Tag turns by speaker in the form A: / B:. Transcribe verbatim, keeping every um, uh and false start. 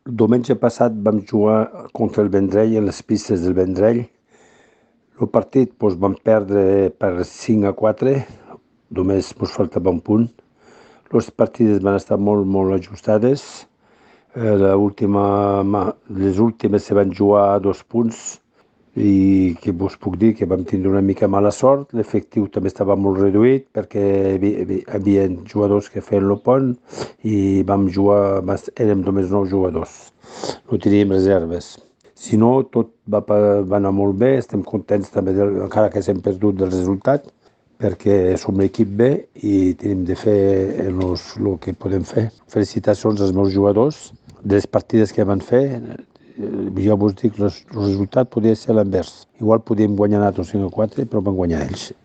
A: El diumenge passat vam jugar contra el Vendrell en les pistes del Vendrell. El partit doncs, vam perdre per cinc a quatre, només ens faltava un punt. Les partides van estar molt, molt ajustades. Eh, la última, les últimes se van jugar a dos punts i que vos puc dir que vam tindre una mica mala sort. L'efectiu també estava molt reduït perquè hi havia jugadors que feien el pont i vam jugar, érem només nou jugadors, no teníem reserves. Si no, tot va, va anar molt bé, estem contents també, del, encara que s'hem perdut del resultat, perquè som l'equip B i tenim de fer el que podem fer. Felicitacions als meus jugadors. De les partides que van fer, jo vos dic, el resultat podria ser l'invers. Igual podíem guanyar nosaltres cinc a quatre, però van guanyar ells.